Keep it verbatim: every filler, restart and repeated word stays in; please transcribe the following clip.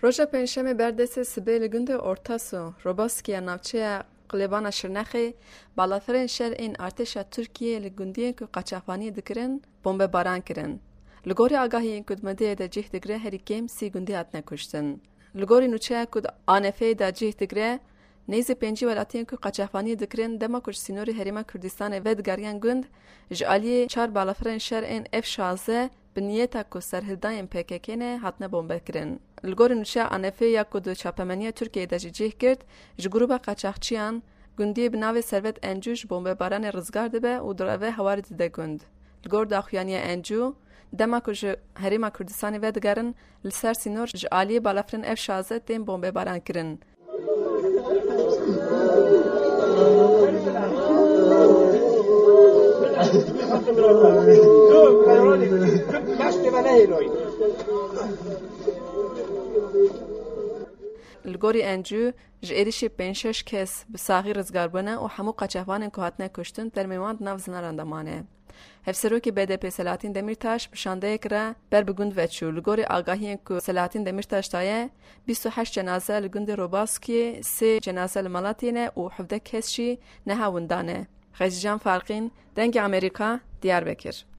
Roja Pêncşemê berdestê sibê li gundê Ortasu, Robaskiya navçeya Qilêbana Şirnexê, balafirên şer ên artêşa Tirkiyê li gundiyên ku qaçaxvaniyê dikirin, bombebaran kirin. Li gorî agahiyên ku di medeyê de cih digire, herî kêm sî gundî hatine kuştin. Li gorî nûçeya ku di A N F'ê de cih digire, nêzî pêncî welatiyên ku qaçaxvaniyê dikirin, dema ku ji sînorê Herêma Kurdistanê vedigeriyan gund, ji aliyê çar balafirên şer ên F şazdeh bi niyeta ku serhildayên P K K ne, hatine bombekirin. Li gorî nûçeya A N F'ê ya ku di çapemeniya Tirkiyeyê de jî cih girt, ji grûba qaçaxçiyan gundiyê bi navê Servet Encû ji bombebaranê rizgar dibe û direve hewarê dide gund. Li gor daxuyaniya Encû, dema ku ji Herêma Kurdistanê vedigerin, li ser sînor ji aliyê balafirên F şazdeh tên bombebaran kirin. Li gorî Encû, ji êrişê pênc şeş kes bi saxî rizgar bûne û hemû qaçaxvanên ku hatine kuştin termê wan di nav zinaran de mane. Hevserokê B D P Selahattin Demirtaş bi şandeyek re ber bi gund ve çû. Li gorî agahiyên ku Selahattin Demirtaş daye, bîst û heşt cenaze li gundê Robaskiyê, sê cenaze li Malatiyê ne û hevdeh kes jî niha winda ne. Xecîcan Farqîn, Dengê Amerîka, Diyarbekir.